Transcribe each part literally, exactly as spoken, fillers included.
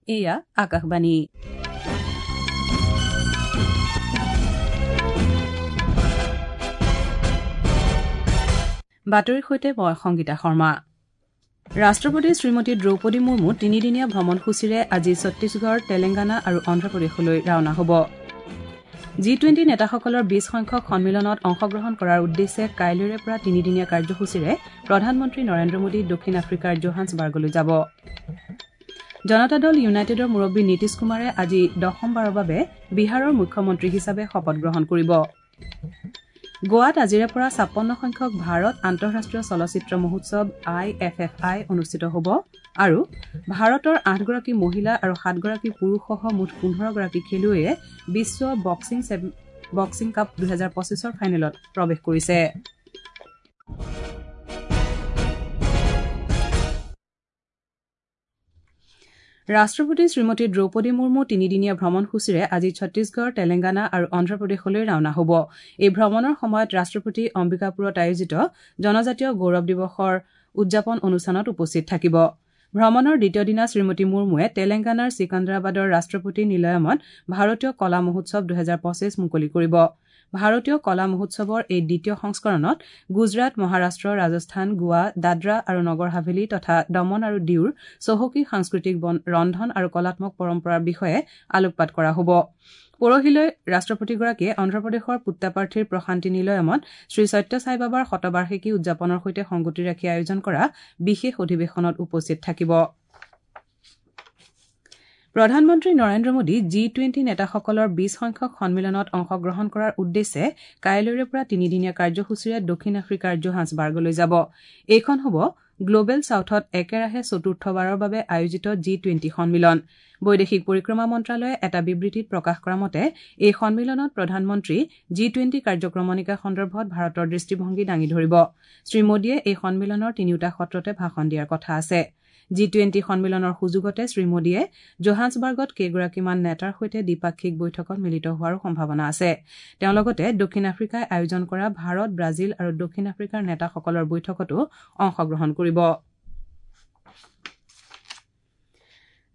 এয়া আকাশবাণী। বাতৰিৰ সৈতে মই সংগীতা শৰ্মা। ৰাষ্ট্ৰপতি শ্ৰীমতী দ্ৰৌপদী মুৰ্মু তিনিদিনীয়া ভ্ৰমণসূচীৰে আজি ছত্তীশগড়, তেলেংগানা আৰু অন্ধ্ৰপ্ৰদেশলৈ ৰাওনা হ'ব। জি টুৱেণ্টি নেতাসকলৰ বিশ সংখ্যক সন্মিলনত অংশগ্ৰহণ কৰাৰ উদ্দেশ্যে কাইলৈৰে পৰা তিনিদিনীয়া কাৰ্যসূচীৰে প্ৰধানমন্ত্ৰী নৰেন্দ্ৰ মোদী দক্ষিণ আফ্ৰিকাৰ জোহান্সবাৰ্গলৈ যাব। জনতা দল ইউনাইটেডৰ মুৰব্বী নীতিশ কুমাৰে আজি দশমবাৰৰ বাবে বিহাৰৰ মুখ্যমন্ত্ৰী হিচাপে শপত গ্ৰহণ কৰিব। গোৱাত আজিৰে পৰা ছাপন্ন সংখ্যক ভাৰত আন্তঃৰাষ্ট্ৰীয় চলচ্চিত্ৰ মহোৎসৱ আই এফ এফ আই অনুষ্ঠিত হ'ব আৰু ভাৰতৰ আঠগৰাকী মহিলা আৰু সাতগৰাকী পুৰুষসহ মুঠ পোন্ধৰগৰাকী খেলুৱৈয়ে বিশ্ব বক্সিং বক্সিং কাপ দুহেজাৰ পঁচিছৰ ফাইনেলত প্ৰৱেশ কৰিছে। ৰাষ্ট্ৰপতি শ্ৰীমতী দ্ৰৌপদী মুৰ্মু তিনিদিনীয়া ভ্ৰমণসূচীৰে আজি ছত্তীশগড়, তেলেংগানা আৰু অন্ধ্ৰপ্ৰদেশলৈ ৰাওনা হ'ব। এই ভ্ৰমণৰ সময়ত ৰাষ্ট্ৰপতি অম্বিকাপুৰত আয়োজিত জনজাতীয় গৌৰৱ দিৱসৰ উদযাপন অনুষ্ঠানত উপস্থিত থাকিব। ভ্ৰমণৰ দ্বিতীয় দিনা শ্ৰীমতী মুৰ্মুৱে তেলেংগানাৰ চিকান্দ্ৰাবাদৰ ৰাষ্ট্ৰপতি নিলয়মত ভাৰতীয় কলা মহোৎসৱ দুহেজাৰ পঁচিছ মুকলি কৰিব। ভাৰতীয় কলা মহোৎসৱৰ এই দ্বিতীয় সংস্কৰণত গুজৰাট, মহাৰাষ্ট্ৰ, ৰাজস্থান, গোৱা, দাদৰা আৰু নগৰ হাভেলী তথা দমন আৰু ডিউৰ চহকী সাংস্কৃতিক ৰন্ধন আৰু কলাত্মক পৰম্পৰাৰ বিষয়ে আলোকপাত কৰা হ'ব। পৰহিলৈ ৰাষ্ট্ৰপতিগৰাকীয়ে অন্ধ্ৰপ্ৰদেশৰ পুত্তাপাৰ্থীৰ প্ৰশান্তি নিলয়মত শ্ৰীসত্য সাইবাবাৰ শতবাৰ্ষিকী উদযাপনৰ সৈতে সংগতি ৰাখি আয়োজন কৰা বিশেষ অধিৱেশনত উপস্থিত থাকিব। প্ৰধানমন্ত্ৰী নৰেন্দ্ৰ মোদী জি টুৱেণ্টি নেতাসকলৰ বিশ সংখ্যক সন্মিলনত অংশগ্ৰহণ কৰাৰ উদ্দেশ্যে কাইলৈৰে পৰা তিনিদিনীয়া কাৰ্যসূচীৰে দক্ষিণ আফ্ৰিকাৰ জোহান্সবাৰ্গলৈ যাব। এইখন হ'ব গ্লবেল ছাউথত একেৰাহে চতুৰ্থবাৰৰ বাবে আয়োজিত জি টুৱেণ্টি সন্মিলন। বৈদেশিক পৰিক্ৰমা মন্ত্ৰালয়ে এটা বিবৃতিত প্ৰকাশ কৰা মতে এই সন্মিলনত প্ৰধানমন্ত্ৰী জি টুৱেণ্টি কাৰ্যক্ৰমণিকা সন্দৰ্ভত ভাৰতৰ দৃষ্টিভংগী দাঙি ধৰিব। শ্ৰীমোদীয়ে এই সন্মিলনৰ তিনিওটা সত্ৰতে ভাষণ দিয়াৰ কথা আছে। জি টুৱেণ্টি সন্মিলনৰ সুযোগতে শ্ৰীমোদীয়ে জোহান্সবাৰ্গত কেইগৰাকীমান নেতাৰ সৈতে দ্বিপাক্ষিক বৈঠকত মিলিত হোৱাৰো সম্ভাৱনা আছে। তেওঁ লগতে দক্ষিণ আফ্ৰিকাই আয়োজন কৰা ভাৰত, ব্ৰাজিল আৰু দক্ষিণ আফ্ৰিকাৰ নেতাসকলৰ বৈঠকতো অংশগ্ৰহণ কৰিব।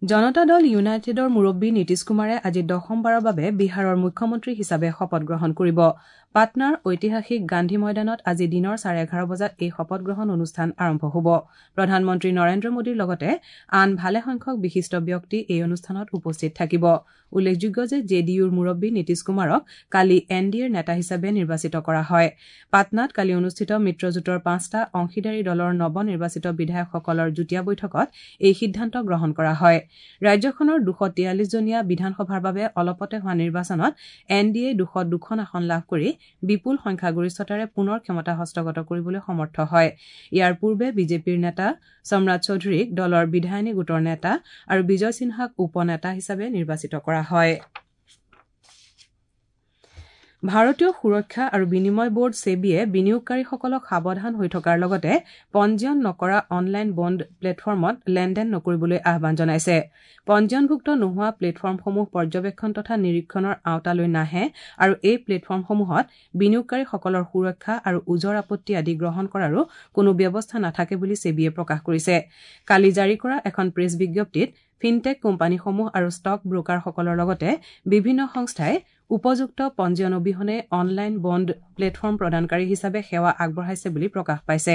জনতা দল ইউনাইটেডৰ মুৰব্বী নীতিশ কুমাৰে আজি দশমবাৰৰ বাবে বিহাৰৰ মুখ্যমন্ত্ৰী হিচাপে শপত গ্ৰহণ কৰিব। পাটনাৰ ঐতিহাসিক গান্ধী ময়দানত আজি দিনৰ চাৰে এঘাৰ বজাত এই শপত গ্ৰহণ অনুষ্ঠান আৰম্ভ হ'ব। প্ৰধানমন্ত্ৰী নৰেন্দ্ৰ মোদীৰ লগতে আন ভালেসংখ্যক বিশিষ্ট ব্যক্তি এই অনুষ্ঠানত উপস্থিত থাকিব। উল্লেখযোগ্য যে জে ডি ইউৰ মুৰব্বী নীতিশ কুমাৰক কালি এন ডি এৰ নেতা হিচাপে নিৰ্বাচিত কৰা হয়। পাটনাত কালি অনুষ্ঠিত মিত্ৰজোঁটৰ পাঁচটা অংশীদাৰী দলৰ নৱ নিৰ্বাচিত বিধায়কসকলৰ যুটীয়া বৈঠকত এই সিদ্ধান্ত গ্ৰহণ কৰা হয়। ৰাজ্যখনৰ দুশ তিয়াল্লিছজনীয়া বিধানসভাৰ বাবে অলপতে হোৱা নিৰ্বাচনত এন ডি এ দুশ দুখন আসন লাভ কৰি বিপুল সংখ্যাগৰিষ্ঠতাৰে পুনৰ ক্ষমতা হস্তগত কৰিবলৈ সমৰ্থ হয়। ইয়াৰ পূৰ্বে বিজেপিৰ নেতা সম্ৰাট চৌধুৰীক দলৰ বিধায়িনী গোটৰ নেতা আৰু বিজয় সিনহাক উপ নেতা হিচাপে নিৰ্বাচিত কৰা হয়। ভাৰতীয় সুৰক্ষা আৰু বিনিময় বোৰ্ড ছেবিয়ে বিনিয়োগকাৰীসকলক সাৱধান হৈ থকাৰ লগতে পঞ্জীয়ন নকৰা অনলাইন বণ্ড প্লেটফৰ্মত লেনদেন নকৰিবলৈ আহ্বান জনাইছে। পঞ্জীয়নভুক্ত নোহোৱা প্লেটফৰ্মসমূহ পৰ্যবেক্ষণ তথা নিৰীক্ষণৰ আওতালৈ নাহে আৰু এই প্লেটফৰ্মসমূহত বিনিয়োগকাৰীসকলৰ সুৰক্ষা আৰু ওজৰ আপত্তি আদি গ্ৰহণ কৰাৰো কোনো ব্যৱস্থা নাথাকে বুলি ছেবিয়ে প্ৰকাশ কৰিছে। কালি জাৰি কৰা এখন প্ৰেছ বিজ্ঞপ্তিত ফিনটেক কোম্পানীসমূহ আৰু ষ্টক ব্ৰোকাৰসকলৰ লগতে বিভিন্ন সংস্থাই উপযুক্ত পঞ্জীয়ন অবিহনে অনলাইন বণ্ড প্লেটফৰ্ম প্ৰদানকাৰী হিচাপে সেৱা আগবঢ়াইছে বুলি প্ৰকাশ পাইছে।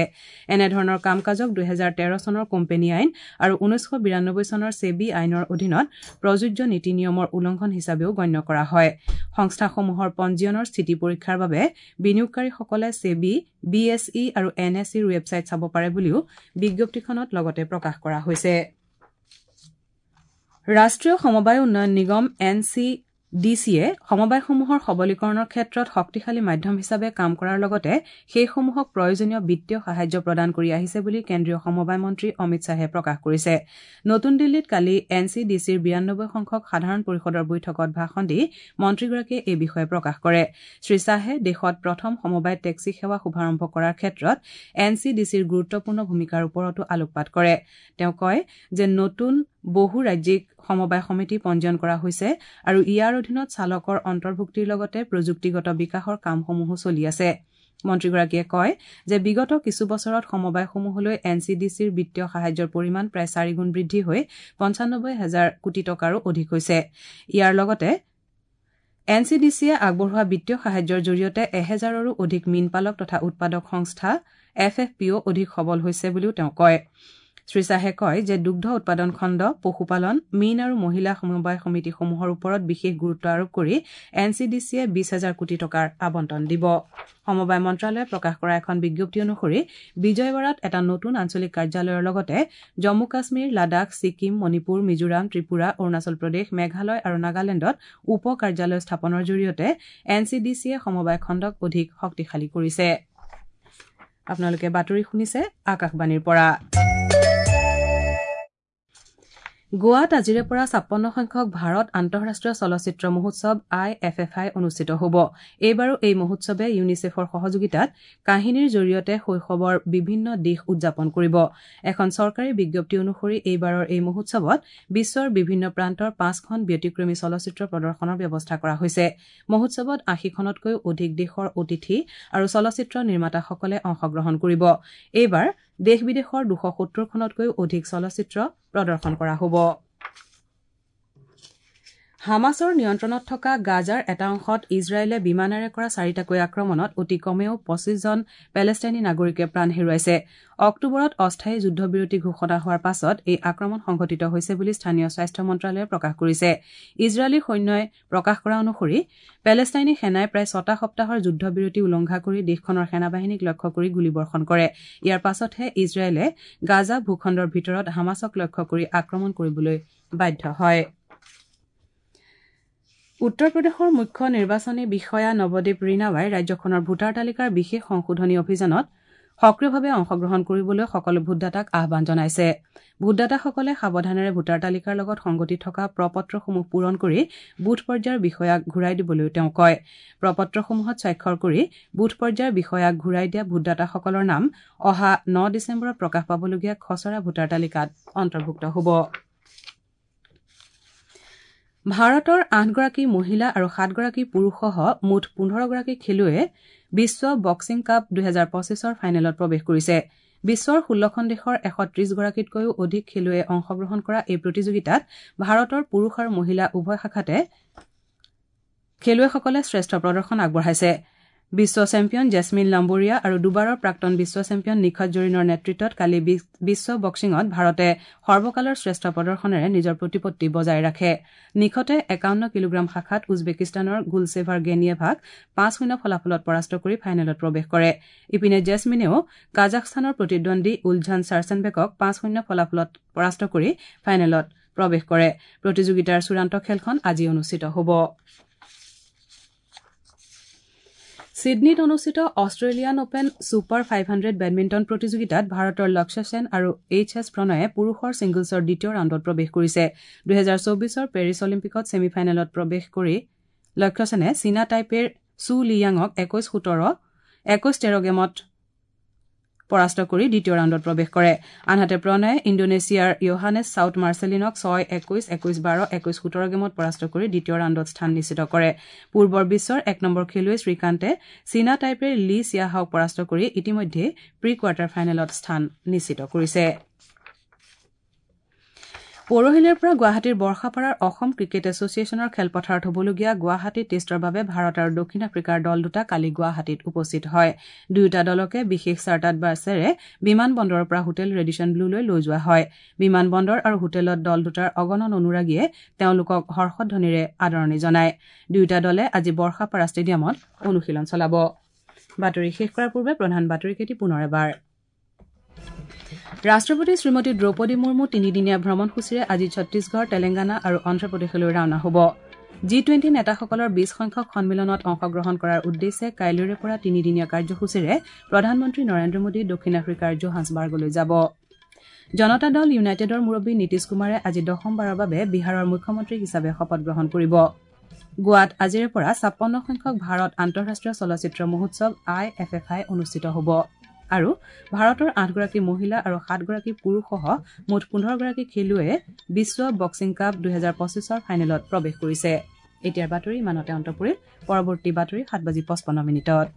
এনেধৰণৰ কাম কাজক দুহেজাৰ তেৰ চনৰ কোম্পানী আইন আৰু ঊনৈছশ বিৰানব্বৈ চনৰ ছেবি আইনৰ অধীনত প্ৰযোজ্য নীতি নিয়মৰ উলংঘন হিচাপেও গণ্য কৰা হয়। সংস্থাসমূহৰ পঞ্জীয়নৰ স্থিতি পৰীক্ষাৰ বাবে বিনিয়োগকাৰীসকলে ছেবি, বি এছ ই আৰু এন এছ ইৰ ৱেবছাইট চাব পাৰে বুলিও বিজ্ঞপ্তিখনত লগতে প্ৰকাশ কৰা হৈছে। ৰাষ্ট্ৰীয় সমবায় উন্নয়ন নিগম এন চি ডি চিয়ে সমবায়সমূহৰ সবলীকৰণৰ ক্ষেত্ৰত শক্তিশালী মাধ্যম হিচাপে কাম কৰাৰ লগতে সেইসমূহক প্ৰয়োজনীয় বিত্তীয় সাহায্য প্ৰদান কৰি আহিছে বুলি কেন্দ্ৰীয় সমবায় মন্ত্ৰী অমিত শ্বাহে প্ৰকাশ কৰিছে। নতুন দিল্লীত কালি এন চি ডি চিৰ বিৰানব্বৈ সংখ্যক সাধাৰণ পৰিষদৰ বৈঠকত ভাষণ দি মন্ত্ৰীগৰাকীয়ে এই বিষয়ে প্ৰকাশ কৰে। শ্ৰীশ্বাহে দেশত প্ৰথম সমবায় টেক্সি সেৱা শুভাৰম্ভ কৰাৰ ক্ষেত্ৰত এন চি ডি চিৰ গুৰুত্বপূৰ্ণ ভূমিকাৰ ওপৰতো আলোকপাত কৰে। তেওঁ কয় যে নতুন বহু ৰাজ্যিক সমবায় সমিতি পঞ্জীয়ন কৰা হৈছে আৰু ইয়াৰ অধীনত চালকৰ অন্তৰ্ভুক্তিৰ লগতে প্ৰযুক্তিগত বিকাশৰ কামসমূহো চলি আছে। মন্ত্ৰীগৰাকীয়ে কয় যে বিগত কিছু বছৰত সমবায়সমূহলৈ এন চি ডি চিৰ বিত্তীয় সাহায্যৰ পৰিমাণ প্ৰায় চাৰিগুণ বৃদ্ধি হৈ পঞ্চানব্বৈ হাজাৰ কোটি টকাৰো অধিক হৈছে। ইয়াৰ লগতে এন চি ডি চিয়ে আগবঢ়োৱা বিত্তীয় সাহায্যৰ জৰিয়তে এহেজাৰৰো অধিক মীনপালক তথা উৎপাদক সংস্থা এফ এফ পিঅ অধিক সবল হৈছে বুলিও তেওঁ কয়। শ্ৰীশ্বাহে কয় যে দুগ্ধ উৎপাদন খণ্ড, পশুপালন, মীন আৰু মহিলা সমবায় সমিতিসমূহৰ ওপৰত বিশেষ গুৰুত্ব আৰোপ কৰি এন চি ডি চিয়ে বিশ হাজাৰ কোটি টকাৰ আবণ্টন দিব। সমবায় মন্ত্ৰালয়ে প্ৰকাশ কৰা এখন বিজ্ঞপ্তি অনুসৰি বিজয়ৱাড়াত এটা নতুন আঞ্চলিক কাৰ্যালয়ৰ লগতে জম্মু কাশ্মীৰ, লাডাখ, ছিকিম, মণিপুৰ, মিজোৰাম, ত্ৰিপুৰা, অৰুণাচল প্ৰদেশ, মেঘালয় আৰু নাগালেণ্ডত উপ কাৰ্যালয় স্থাপনৰ জৰিয়তে এন চি ডি চিয়ে সমবায় খণ্ডক অধিক শক্তিশালী কৰিছে। আপোনালোকে বাতৰি শুনিছে আকাশবাণীৰ পৰা। গোৱাত আজিৰে পৰা ছাপন্ন সংখ্যক ভাৰত আন্তঃৰাষ্ট্ৰীয় চলচ্চিত্ৰ মহোৎসৱ আই এফ এফ আই অনুষ্ঠিত হ'ব। এইবাৰো এই মহোৎসৱে ইউনিচেফৰ সহযোগিতাত কাহিনীৰ জৰিয়তে শৈশৱৰ বিভিন্ন দিশ উদযাপন কৰিব। এখন চৰকাৰী বিজ্ঞপ্তি অনুসৰি এইবাৰৰ এই মহোৎসৱত বিশ্বৰ বিভিন্ন প্ৰান্তৰ পাঁচখন ব্যতিক্ৰমী চলচ্চিত্ৰ প্ৰদৰ্শনৰ ব্যৱস্থা কৰা হৈছে। মহোৎসৱত আশীখনতকৈও অধিক দেশৰ অতিথি আৰু চলচ্চিত্ৰ নিৰ্মাতাসকলে অংশগ্ৰহণ কৰিব। এইবাৰ দেশ বিদেশৰ দুশ সত্তৰখনতকৈও অধিক চলচ্চিত্ৰ প্ৰদৰ্শন কৰা হ'ব। হামাছৰ নিয়ন্ত্ৰণত থকা গাজাৰ এটা অংশত ইজৰাইলে বিমানেৰে কৰা চাৰিটাকৈ আক্ৰমণত অতি কমেও পঁচিছজন পেলেষ্টাইনী নাগৰিকে প্ৰাণ হেৰুৱাইছে। অক্টোবৰত অস্থায়ী যুদ্ধবিৰতি ঘোষণা হোৱাৰ পাছত এই আক্ৰমণ সংঘটিত হৈছে বুলি স্থানীয় স্বাস্থ্য মন্ত্ৰালয়ে প্ৰকাশ কৰিছে। ইজৰাইলী সৈন্যই প্ৰকাশ কৰা অনুসৰি পেলেষ্টাইনী সেনাই প্ৰায় ছটা সপ্তাহৰ যুদ্ধবিৰতি উলংঘা কৰি দেশখনৰ সেনাবাহিনীক লক্ষ্য কৰি গুলীবৰ্ষণ কৰে। ইয়াৰ পাছতহে ইজৰাইলে গাজা ভূখণ্ডৰ ভিতৰত হামাছক লক্ষ্য কৰি আক্ৰমণ কৰিবলৈ বাধ্য হয়। উত্তৰ প্ৰদেশৰ মুখ্য নিৰ্বাচনী বিষয়া নৱদীপ ৰিনাৱাই ৰাজ্যখনৰ ভোটাৰ তালিকাৰ বিশেষ সংশোধনী অভিযানত সক্ৰিয়ভাৱে অংশগ্ৰহণ কৰিবলৈ সকলো ভোটদাতাক আহ্বান জনাইছে। ভোটদাতাসকলে সাৱধানেৰে ভোটাৰ তালিকাৰ লগত সংগতি থকা প্ৰপত্ৰসমূহ পূৰণ কৰি বুথ পৰ্যায়ৰ বিষয়াক ঘূৰাই দিবলৈও তেওঁ কয়। প্ৰপত্ৰসমূহত স্বাক্ষৰ কৰি বুথ পৰ্যায়ৰ বিষয়াক ঘূৰাই দিয়া ভোটদাতাসকলৰ নাম অহা ন ডিচেম্বৰত প্ৰকাশ পাবলগীয়া খচৰা ভোটাৰ তালিকাত অন্তৰ্ভুক্ত হ'ব। ভাৰতৰ আঠগৰাকী মহিলা আৰু সাতগৰাকী পুৰুষসহ মুঠ পোন্ধৰগৰাকী খেলুৱৈয়ে বিশ্ব বক্সিং কাপ দুহেজাৰ পঁচিছৰ ফাইনেলত প্ৰৱেশ কৰিছে। বিশ্বৰ ষোল্লখন দেশৰ এশ ত্ৰিছগৰাকীতকৈও অধিক খেলুৱৈয়ে অংশগ্ৰহণ কৰা এই প্ৰতিযোগিতাত ভাৰতৰ পুৰুষ আৰু মহিলা উভয় শাখাতে খেলুৱৈসকলে শ্ৰেষ্ঠ প্ৰদৰ্শন আগবঢ়াইছে। বিশ্ব চেম্পিয়ন জেছমিন লাম্বোৰিয়া আৰু দুবাৰৰ প্ৰাক্তন বিশ্ব চেম্পিয়ন নিখত জৰীনৰ নেতৃত্বত কালি বিশ্ব বক্সিঙত ভাৰতে সৰ্বকালৰ শ্ৰেষ্ঠ প্ৰদৰ্শনেৰে নিজৰ প্ৰতিপত্তি বজাই ৰাখে। নিখতে একাৱন্ন কিলোগ্ৰাম শাখাত উজবেকিস্তানৰ গুলছেভাৰ গেনিয়েভাক পাঁচ শূন্য ফলাফলত পৰাস্ত কৰি ফাইনেলত প্ৰৱেশ কৰে। ইপিনে জেছমিনেও কাজাখস্তানৰ প্ৰতিদ্বন্দ্বী উলঝান চাৰ্চেনবেকক পাঁচ শূন্য ফলাফলত পৰাস্ত কৰি ফাইনেলত প্ৰৱেশ কৰে। প্ৰতিযোগিতাৰ চূড়ান্ত খেলখন আজি অনুষ্ঠিত হ'ব। ছিডনীত অনুষ্ঠিত Australian Open Super five hundred badminton প্ৰতিযোগিতাত ভাৰতৰ লক্ষ্য সেন আৰু এইচ এছ প্ৰণয়ে পুৰুষৰ ছিংগলছৰ দ্বিতীয় ৰাউণ্ডত প্ৰৱেশ কৰিছে। দুহেজাৰ চৌবিছৰ পেৰিছ অলিম্পিকত ছেমি ফাইনেলত প্ৰৱেশ কৰি লক্ষ্য সেনে চীনা টাইপেৰ ছু লিয়াঙক একৈশ সোতৰ একৈশ তেৰ গেমত পৰাস্ত কৰি দ্বিতীয় ৰাউণ্ডত প্ৰৱেশ কৰে। আনহাতে প্ৰণয়ে ইণ্ডোনেছিয়াৰ য়োহানেছ চাউথ মাৰ্চেলিনক ছয় একৈশ একৈশ বাৰ একৈশ সোতৰ গেমত পৰাস্ত কৰি দ্বিতীয় ৰাউণ্ডত স্থান নিশ্চিত কৰে। পূৰ্বৰ বিশ্বৰ এক নম্বৰ খেলুৱৈ শ্ৰীকান্তে চীনা টাইপেৰ লি চিয়াহাওক পৰাস্ত কৰি ইতিমধ্যে প্ৰি কোৱাৰ্টাৰ ফাইনেলত স্থান নিশ্চিত কৰিছে। পৰহিলেৰ পৰা গুৱাহাটীৰ বৰ্ষাপাৰাৰ অসম ক্ৰিকেট এছ'চিয়েশ্যনৰ খেলপথাৰত হ'বলগীয়া গুৱাহাটী টেষ্টৰ বাবে ভাৰত আৰু দক্ষিণ আফ্ৰিকাৰ দল দুটা কালি গুৱাহাটীত উপস্থিত হয়। দুয়োটা দলকে বিশেষ চাৰ্টাৰ্ড বাছেৰে বিমান বন্দৰৰ পৰা হোটেল ৰেডিছন ব্লুলৈ লৈ যোৱা হয়। বিমান বন্দৰ আৰু হোটেলত দল দুটাৰ অগণন অনুৰাগীয়ে তেওঁলোকক হৰ্ষধ্বনিৰে আদৰণি জনায়। দুয়োটা দলে আজি বৰ্ষাপাৰা ষ্টেডিয়ামত অনুশীলন চলাব। বাতৰি শেষ কৰাৰ পূৰ্বে প্ৰধান বাতৰিকেইটি পুনৰ এবাৰ। ৰাষ্ট্ৰপতি শ্ৰীমতী দ্ৰৌপদী মুৰ্মু তিনিদিনীয়া ভ্ৰমণসূচীৰে আজি ছত্তীশগড়, তেলেংগানা আৰু অন্ধ্ৰপ্ৰদেশলৈ ৰাওনা হ'ব। জি টুৱেণ্টি নেতাসকলৰ বিশ সংখ্যক সন্মিলনত অংশগ্ৰহণ কৰাৰ উদ্দেশ্যে কাইলৈৰে পৰা তিনিদিনীয়া কাৰ্যসূচীৰে প্ৰধানমন্ত্ৰী নৰেন্দ্ৰ মোদী দক্ষিণ আফ্ৰিকাৰ জোহান্সবাৰ্গলৈ যাব। জনতা দল ইউনাইটেডৰ মুৰব্বী নীতিশ কুমাৰে আজি দশমবাৰৰ বাবে বিহাৰৰ মুখ্যমন্ত্ৰী হিচাপে শপত গ্ৰহণ কৰিব। গোৱাত আজিৰে পৰা ছাপন্ন সংখ্যক ভাৰত আন্তঃৰাষ্ট্ৰীয় চলচ্চিত্ৰ মহোৎসৱ আই এফ এফ আই অনুষ্ঠিত হ'ব। আৰু ভাৰতৰ আঠগৰাকী মহিলা আৰু সাতগৰাকী পুৰুষসহ মুঠ পোন্ধৰগৰাকী খেলুৱৈয়ে বিশ্ব বক্সিং কাপ দুহেজাৰ পঁচিছৰ ফাইনেলত প্ৰৱেশ কৰিছে। এতিয়াৰ বাতৰি ইমানতে অন্ত পৰিল। পৰৱৰ্তী বাতৰি সাত বাজি পঁচপন্ন মিনিটত।